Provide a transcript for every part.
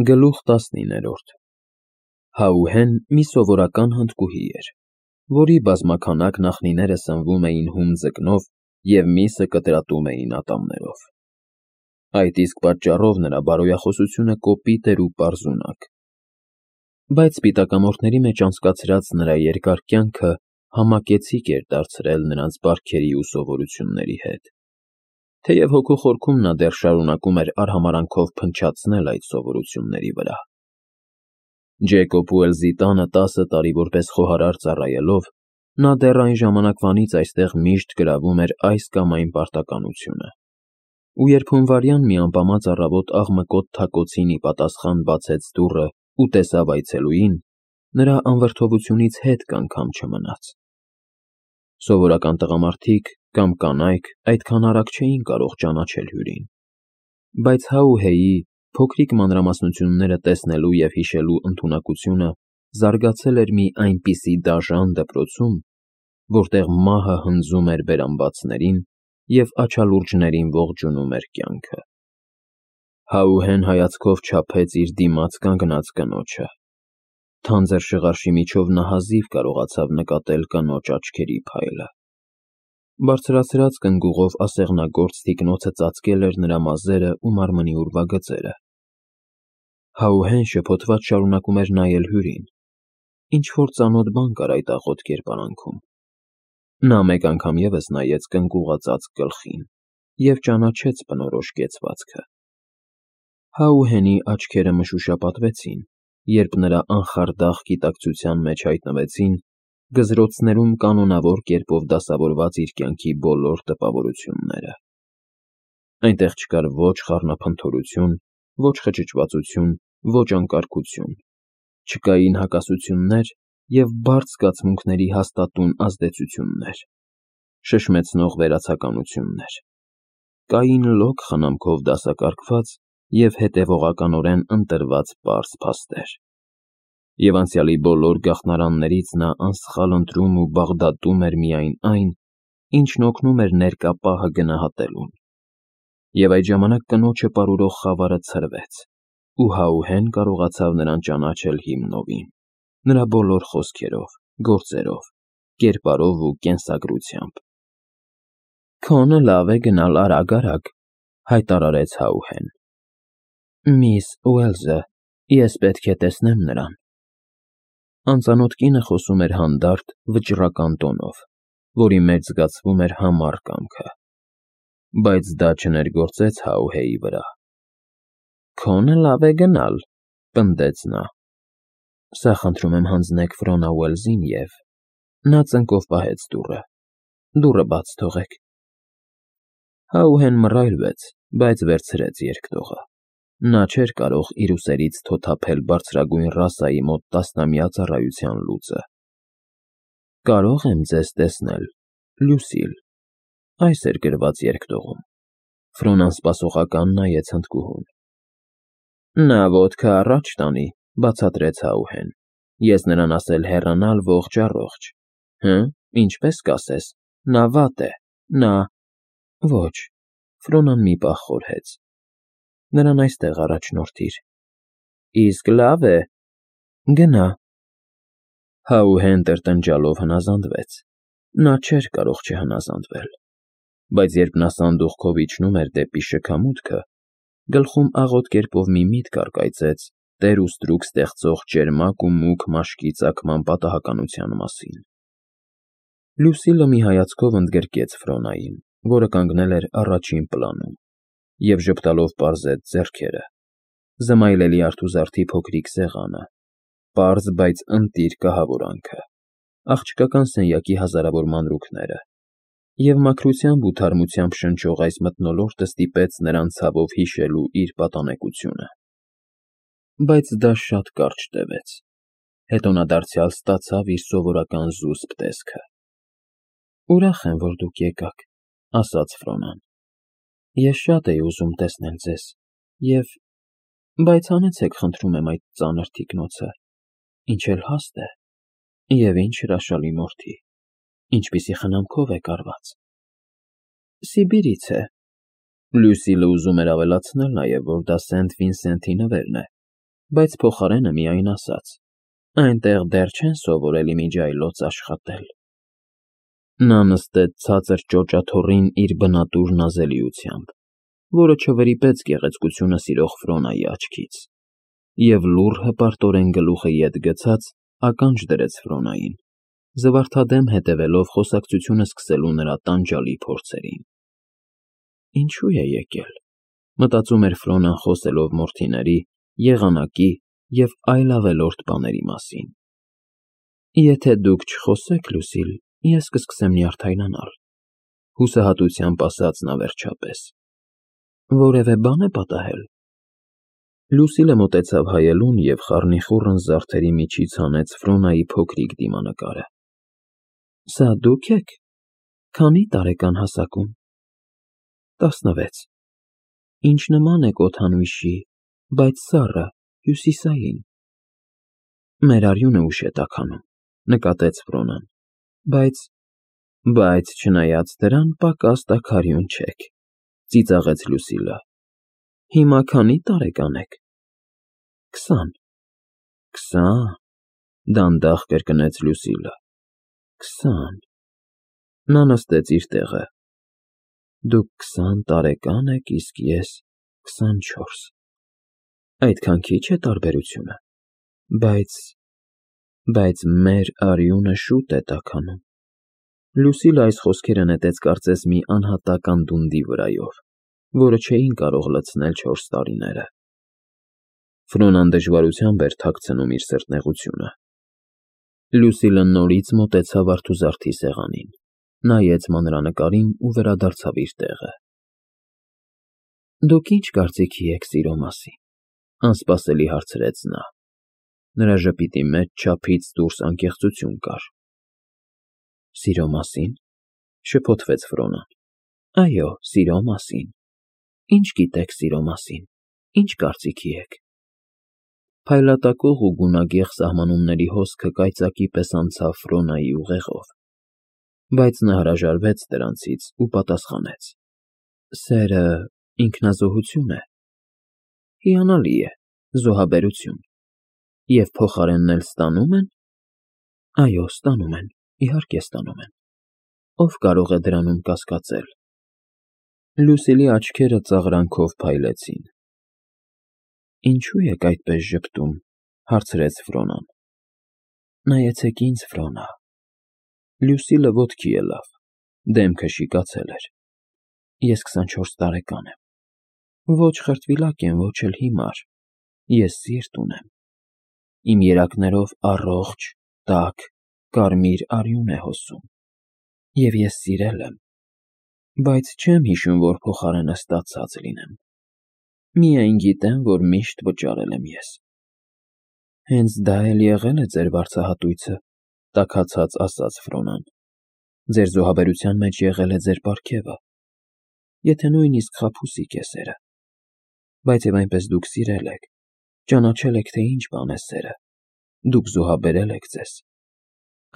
Գլուխ 19 Հաուհեն մի սովորական հնդկուհի էր, որի բազմաքանակ նախնիները սնվում էին հում ձկնով և միսը կտրատում էին ատամներով։ Այդ իսկ պատճառով նրա բարոյախոսությունը կոպիտ էր ու պարզունակ։ Բայց սպիտակամորթների մեջ անցկացրած նրա երկար կյանքը համակեցիկ էր դարձրել նրանց բարքերի ու սովորությունների հետ, թեև հոգու խորքում նա դեռ շարունակում էր արհամարհանքով փնչացնել այդ սովորությունների վրա։ Ջեյկոբ Ուելսի տանը 10 տարի որպես խոհարար ծառայելով, նա դեռ այն ժամանակվանից այստեղ միշտ գրավում էր այս կամ այն պարտականությունը, ու երբ հունվարյան մի ամպամած առավոտ աղմկոտ թակոցին ի պատասխան բացեց դուռը ու տեսավ այցելուին, նրա անվրդովությունից հետք անգամ չմնաց։ Սովորական տղամարդիկ կամ կանայք այդքան արագ չէին կարող ճանաչել հյուրին, բայց Հաուհեյի փոքրիկ մանրամասնությունները տեսնելու և հիշելու ընդունակությունը զարգացել էր մի այնպիսի դաժան դպրոցում, որտեղ մահը հնձում էր բերանբացներին և աչալուրջներին ողջունում էր կյանքը։ Հաուհեն հայացքով չափեց իր դիմաց կանգնած կնոջը։ Թանձր շղարշի միջով նա հազիվ կարողացավ նկատել կնոջ աչքերի փայլը։ Բարձրացրած կնգուղով ասեղնագործ թիկնոցը ծածկել էր նրա մազերը ու մարմնի ուրվագծերը։ Հաուհեն շփոթված շարունակում էր նայել հյուրին։ Ինչ-որ ծանոթ բան կար այդ աղոտ կերպարանքում։ Նա մեկ անգամ ևս նայեց կնգուղածածկ գլխին և ճանաչեց բնորոշ կեցվածքը։ Հաուհենի աչքերը մշուշապատվեցին, երբ նրա անխարդախ գիտակցության մեջ հայտնվեցին գզրոցներում կանոնավոր կերպով դասավորված իր կյանքի բոլոր տպավորությունները։ Այնտեղ չկար ոչ խառնափնթորություն, ոչ խճճվածություն, ոչ անկարգություն, չկային հակասություններ և բարդ զգացմունքների հաստատուն ազդեցություններ, շշմեցնող վերացականություններ։ Կային լոկ խնամքով դասակարգված և հետևողականորեն ընտրված պարզ փաստեր։ Եվ անցյալի բոլոր գաղտնարաններից նա անսխալ ընտրում ու բաղդատում էր միայն այն, ինչն օգնում էր ներկա պահը գնահատելուն։ Եվ այդ ժամանակ կնոջը պարուրող խավարը ցրվեց, ու Հաուհեն կարողացավ նրան ճանաչել հիմնովին, նրա բոլոր խոսքերով, գործերով, կերպարով ու կենսագրությամբ։ «Քոնը լավ է գնալ արագ-արագ», հայտարարեց Հաուհեն։ «Միս Ուելսը, ես պետք է տեսնեմ նրան»։ Անծանոթ կինը խոսում էր հանդարտ, վճռական տոնով, որի մեջ զգացվում էր համառ կամքը։ Բայց դա չներգործեց Հաուհեյի վրա։ «Քոնը լավ է գնալ», պնդեց նա։ «Սա խնդրում եմ հանձնեք Ֆրոնա Ուելսին և…» Նա ծնկով պահեց դուռը։ «Դուռը բաց թողեք»։ Հաուհեն մռայլվեց, բայց վերցրեց երկտողը։ Նա չէր կարող իր ուսերից թոթափել բարձրագույն ռասայի մոտ տասնամյա ծառայության լուծը։ «Կարո՞ղ եմ ձեզ տեսնել, Լյուսիլ», այս էր գրված երկտողում։ Ֆրոնան սպասողական նայեց հնդկուհուն։ «Նա ոտքը առաջ տանի», բացատրեց Հաուհեն։ «Ես նրան ասել հեռանալ ողջ֊առողջ։ Հը՞, ինչպես կասես, նա վատ է, նա…» «Ոչ», Ֆրոնան մի պահ խորհեց։ «Նրան այստեղ առաջնորդիր»։ «Իսկ լավ է, գնա»։ Հաուհեն տրտնջալով հնազանդվեց։ Նա չէր կարող չհնազանդվել։ Բայց երբ նա սանդուղքով իջնում էր դեպի շքամուտքը, գլխում աղոտ կերպով մի միտք առկայծեց տեր ու ստրուկ ստեղծող ճերմակ ու մուգ մաշկի ծագման պատահականության մասին։ Լյուսիլը մի հայացքով ընդգրկեց Ֆրոնային, որը կանգնել էր առաջին պլանում, և ժպտալով պարզեց ձեռքերը, զմայլելի արթուզարդի փոքրիկ սեղանը, պարզ, բայց ընտիր կահավորանքը, աղջկական սենյակի հազարավոր մանրուքները, և մաքրությամբ ու թարմությամբ շնչող այս մթնոլորտը ստիպեց նրան ցավով հիշելու իր պատանեկությունը։ Բայց դա շատ կարճ տևեց։ Հետո նա դարձյալ ստացավ իր սովորական զուսպ տեսքը։ «Ուրախ եմ, որ դուք եկաք», ասաց Ֆրոնան։ «Ես շատ էի ուզում տեսնել ձեզ, և… Բայց հանեցեք, խնդրում եմ, այդ ծանր թիկնոցը, ինչ էլ հաստ է, և ինչ հրաշալի մորթի, ինչպիսի խնամքով է կարված»։ «Սիբիրից է»։ Լյուսիլը ուզում էր ավելացնել նաև, որ դա Սենթ Վինսենթի նվերն է, բայց փոխարենը միայն ասաց. այնտեղ դեռ չեն սովորել իմիջիայլոց աշխատել։ Նա նստեց ցածր ճոճաթոռին իր բնատուր նազելիությամբ, որը չվրիպեց գեղեցկությունը սիրող Ֆրոնայի աչքից, և լուռ հպարտորեն գլուխը ետ գցած ականջ դրեց Ֆրոնային, զվարթադեմ հետևելով խոսակցությունը սկսելու նրա տանջալի փորձերին։ Ինչու է եկել, մտածում էր Ֆրոնան խոսելով մորթիների, եղանակի և այլ ավելորդ բաների մասին։ Եթե դուք չխոսեք, Լուսիլ, ես կսկսեմ նյարդայնանալ, հուսահատությամբ ասաց նա վերջապես։ Որևէ բան է պատահել։ Լուսիլը մոտեցավ հայելուն և խառնիխուռն զարդերի միջից հանեց Ֆրոնայի փոքրիկ դիմանկարը։ Սա դուք եք։ Քանի տարեկան հասակում։ 16։ Ինչ նման եք օդանույշի, բայց սառը, հյուսիսային։ Մեր արյունը ուշ է տաքանում, նկատեց Ֆրոնան, բայց չնայած դրան պակաս տաքարյուն չեք, ծիծաղեց Լուսիլը։ Հիմա քանի տարեկան եք։ 20։ 20, դանդաղ կրկնեց Լուսիլը։ 20։ Նա նստեց իր տեղը։ Դուք 20 տարեկան եք, իսկ ես 24։ Այդքան քիչ է տարբերությունը, բայց մեր արյունը շուտ է տաքանում։ Լուսիլը այս խոսքերը նետեց կարծես մի անհատակ անդունդի վրայով, որը չէին կարող լցնել 4 տարիները։ Ֆրոնան դժվարությամբ էր թաքցնում իր սրտնեղությունը։ Լուսիլը նորից մոտեցավ արթուզարդի սեղանին, նայեց մանրանկարին ու վերադարձավ իր տեղը։ Դուք ինչ կարծիքի եք սիրո մասին, անսպասելի հարցրեց նա։ Նրա ժպիտի մեջ չափից դուրս անկեղծություն կար։ Սիրո մասին, շփոթվեց Ֆրոնան։ Այո, սիրո մասին։ Ինչ գիտեք սիրո մասին, ինչ կարծիքի եք։ Փայլատակող ու գունագեղ սահմանումների հոսքը կայծակի պես անցավ Ֆրոնայի ուղեղով, բայց նա հրաժարվեց դրանցից ու պատասխանեց. Սերը ինքնազոհություն է։ Հիանալի է, զոհաբերություն։ Եվ փոխարենն էլ ստանում են։ Այո, ստանում են, իհարկե ստանում են։ Ով կարող է դրանում կասկածել։ Լուսիլի աչքերը ծաղրանքով փայլեցին։ Ինչու եք այդպես ժպտում, հարցրեց Ֆրոնան։ Նայեցեք ինձ, Ֆրոնա։ Լուսիլը ոտքի ելավ, դեմքը շիկացել էր։ Ես 24 տարեկան եմ։ Ոչ խրտվիլակ եմ, ոչ էլ հիմար։ Ես սիրտ ունեմ։ Իմ երակներով առողջ, տաք, կարմիր արյուն է հոսում։ Եվ ես սիրել եմ, բայց չեմ հիշում, որ փոխարենը ստացած լինեմ։ Միայն գիտեմ, որ միշտ վճարել եմ ես։ Հենց դա էլ եղել է ձեր վարձահատույցը, տաքացած ասաց Ֆրոնան։ Ձեր զոհաբերության մեջ եղել է ձեր պարգևը, եթե նույնիսկ խաբուսիկ է սերը։ Բայց և այնպես դուք սիրել եք, ճանաչել եք, թե ինչ բան է սերը, դուք զոհաբերել եք ձեզ,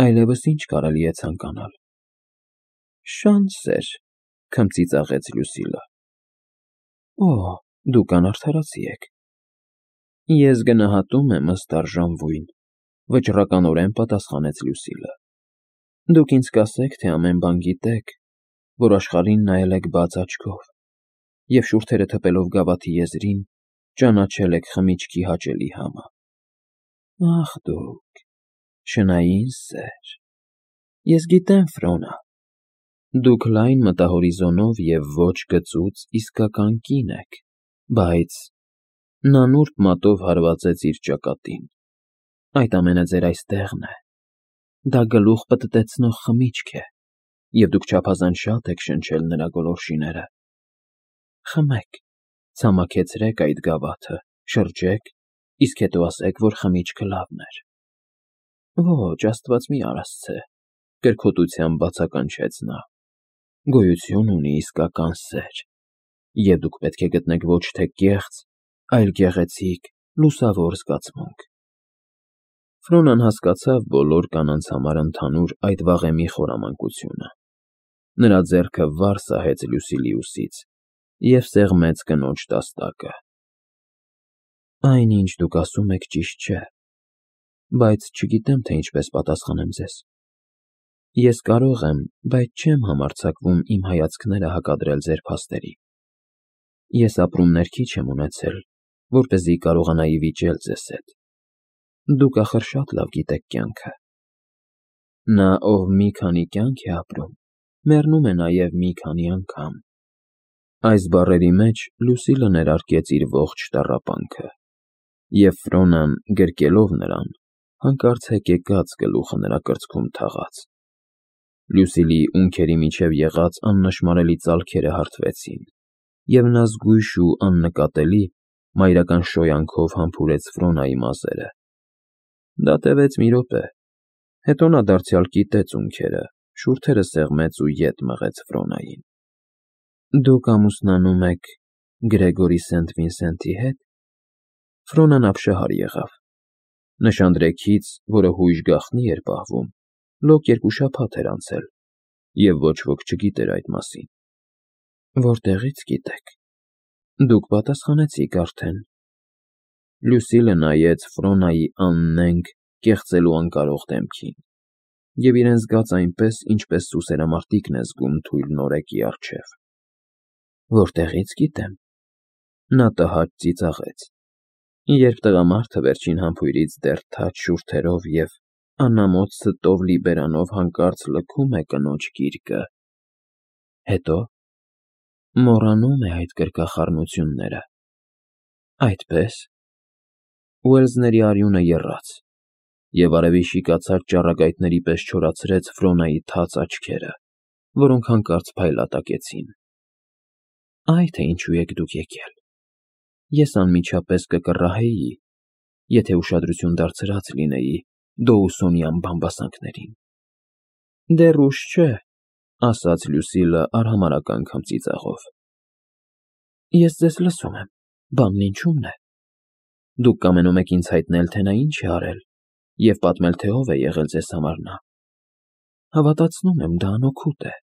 այլևս ինչ կարելի է ցանկանալ։ Շանս էր, քմծիծաղեց Լուսիլը։ Օ, դուք անարդարացի եք։ Ես գնահատում եմ ըստ արժանվույն, վճռականորեն պատասխանեց Լուսիլը։ Դուք ինձ կասեք, թե ամեն բան գիտեք, որ աշխարհին նայել եք բաց աչքով, և շուրթերը թպելով գավաթի եզրին, ճանաչել եք խմիչքի հաճելի համը։ Ախ դուք, շնային սեր։ Ես գիտեմ, Ֆրոնա, դուք լայն մտահորիզոնով և ոչ գծուծ իսկական կին եք, բայց… Նա նուրբ մատով հարվածեց իր ճակատին։ Այդ ամենը ձեր այստեղն է։ Դա գլուխ պտտեցնող խմիչք է, և դուք չափազանց շատ եք շնչել նրա գոլորշիները։ Խմեք, ցամաքեցրեք այդ գավաթը, շրջեք, իսկ հետո ասեք, որ խմիչքը լավն էր։ Ոչ, Աստված մի արասցե, կրքոտությամբ բացականչեց նա։ Գոյություն ունի իսկական սեր, և դուք պետք է գտնեք ոչ թե կեղծ, այլ գեղեցիկ, լուսավոր զգացմունք։ Ֆրոնան հասկացավ բոլոր կանանց համար ընդհանուր այդ վաղեմի խորամանկությունը։ Նրա ձեռքը վար սահեց Լուսիլի ուսից և սեղմեց կնոջ տաստակը։ Այն, ինչ դուք ասում եք, ճիշտ չէ, բայց չգիտեմ, թե ինչպես պատասխանեմ ձեզ։ Ես կարող եմ, բայց չեմ համարձակվում իմ հայացքները հակադրել ձեր փաստերի։ Ես ապրումներ քիչ եմ ունեցել, որպեսզի կարողանայի վիճել ձեզ հետ։ Դուք ախր շատ լավ գիտեք կյանքը։ Նա, ով մի քանի կյանք է ապրում, մեռնում է նաև մի քանի անգամ։ Այս բառերի մեջ Լուսիլը ներարկեց իր ողջ տառապանքը, և Ֆրոնան, գրկելով նրան, հանկարծ հեկեկած գլուխը նրա կրծքում թաղաց։ Լուսիլի ունքերի միջև եղած աննշմարելի ծալքերը հարթվեցին, և նա զգույշ ու աննկատելի մայրական շոյանքով համբուրեց Ֆրոնայի մազերը։ Դա տևեց մի րոպե, հետո նա դարձյալ կիտեց ունքերը, շուրթերը սեղմեց ու ետ մղեց Ֆրոնային։ Դուք ամուսնանում եք Գրեգորի Սենտ֊Վինսենտի հետ։ Ֆրոնան ապշահար եղավ։ Նշանдрեքից, որը հույժ գաղտնի էր պահվում, լոկ 2 շաբաթ էր անցել, և ոչ ոք չգիտեր այդ մասին։ Որտեղի՞ց գիտեք։ Դուք պատասխանեցիք արդեն։ Լուսիլը նայեց Ֆրոնայի աննենգ, կեղծելու անկարող դեմքին, և իրեն զգաց այնպես, ինչպես սուսերամարտիկն է զգում թույլ նորեկի առջև։ Որտեղի՞ց գիտեմ։ Նա տհաճ ծիծաղեց։ Երբ տղամարդը վերջին համբույրից դեռ թաց շուրթերով և անամոթ ստով լի բերանով հանկարծ լքում է կնոջ գիրկը։ Հետո մոռանում է այդ գրկախառնությունները։ Այդպե՞ս։ Ուելսների արյունը եռաց, և արևի շիկացած ճառագայթների պես չորացրեց Ֆրոնայի թաց աչքերը, որոնք հանկարծ փայլատակեցին։ Այ թե ինչու եք դուք եկել։ Ես անմիջապես կկռահեի, եթե ուշադրություն դարձրած լինեի Դոուսոնյան բամբասանքներին։ Դեռ ուշ չէ, ասաց Լուսիլը արհամարհակ անգամ ծիծաղով։ Ես ձեզ լսում եմ, բանն ինչու՞մն է։ Դուք կամենում եք ինձ հայտնել, թե նա ինչ է արել, և պատմել, թե ով է եղել ձեզ համար նա։ Հավատացնում եմ, դա անօգուտ է։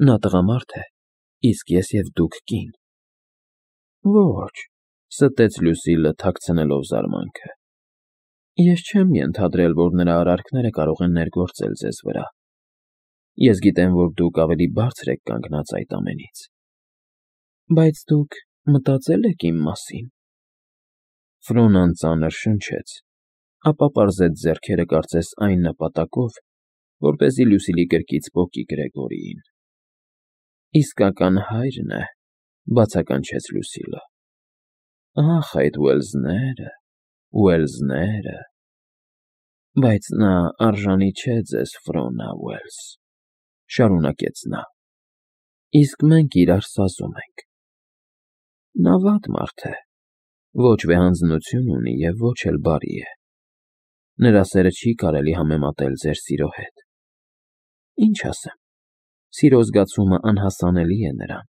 Նա տղամարդ է, իսկ ես և դուք կին։ Ոչ, ստեց Լուսիլը, թաքցնելով զարմանքը։ Ես չեմ ենթադրել, որ նրա արարքները կարող են ներգործել ձեզ վրա։ Ես գիտեմ, որ դուք ավելի բարձր եք կանգնած այդ ամենից։ Բայց դուք մտածել եք իմ մասին։ Ֆրոնան ծանր շնչեց, ապա պարզեց ձեռքերը կարծես այն նպատակով, որպեսզի Լուսիլի կրկից պոկի Գրեգորիին։ Իսկական հայրն է, բացականչեց Լուսիլը։ Ախ, այդ Ուելսները, Ուելսները։ Բայց նա արժանի չէ ձեզ, Ֆրոնա Ուելս, շարունակեց նա։ Իսկ մենք իրար սազում ենք։ Նա վատ մարդ է, ոչ վեհանձնություն ունի և ոչ էլ բարի է։ Նրա սերը չի կարելի համեմատել ձեր սիրո հետ։ Ինչ ասեմ, սիրո զգացումը անհասանելի է նրան։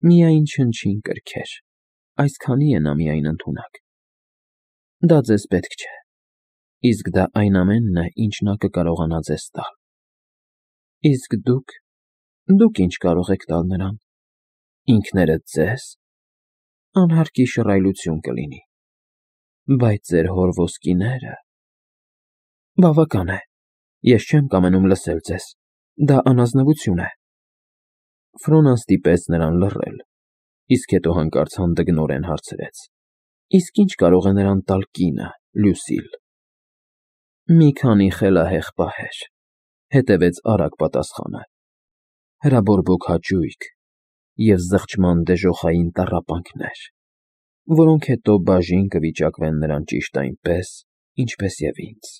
Միայն չնչին կրքեր, այսքանի է նա միայն ընդունակ։ Դա ձեզ պետք չէ, իսկ դա այն ամենն է, ինչ նա կկարողանա ձեզ տալ։ Իսկ դուք ինչ կարող եք տալ նրան։ Ինքներդ ձեզ։ Անհարկի շռայլություն կլինի։ Բայց ձեր հոր ոսկիները… Բավական է, ես չեմ կամենում լսել ձեզ, դա անազնվություն է։ Ֆրոնան ստիպեց նրան լռել, իսկ հետո հանկարծ հանդգնորեն հարցրեց. Իսկ ինչ կարող է նրան տալ կինը, Լուսիլ։ Մի քանի խելահեղ պահեր, հետևեց արագ պատասխանը, հրաբորբոք հաճույք և զղջման դժոխային տառապանքներ, որոնք հետո բաժին կվիճակվեն նրան ճիշտ այնպես, ինչպես և ինձ։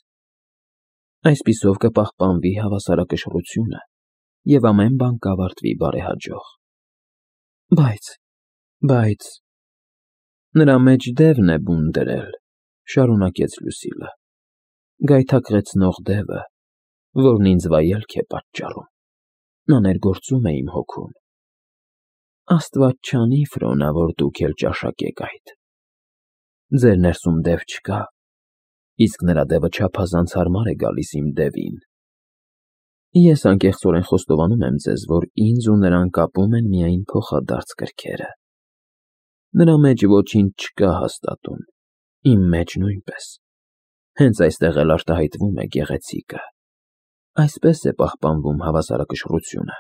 Այսպիսով կպահպանվի հավասարակշռությունը, և ամեն բան կավարտվի բարեհաջող։ Բայց… Նրա մեջ դևն է բուն դրել, շարունակեց Լուսիլը, գայթակղեցնող դևը, որն ինձ վայելք է պատճառում։ Նա ներգործում է իմ հոգուն։ Աստված չանի, Ֆրոնա, որ դուք էլ ճաշակեք այդ։ Ձեր ներսում դև չկա, իսկ նրա դևը չափազանց հարմար է գալիս իմ դևին։ Ես անկեղծորեն խոստովանում եմ ձեզ, որ ինձ ու նրան կապում են միայն փոխադարձ կրքերը։ Նրա մեջ ոչինչ չկա հաստատուն, իմ մեջ նույնպես։ Հենց այստեղ էլ արտահայտվում է գեղեցիկը։ Այսպես է պահպանվում հավասարակշռությունը։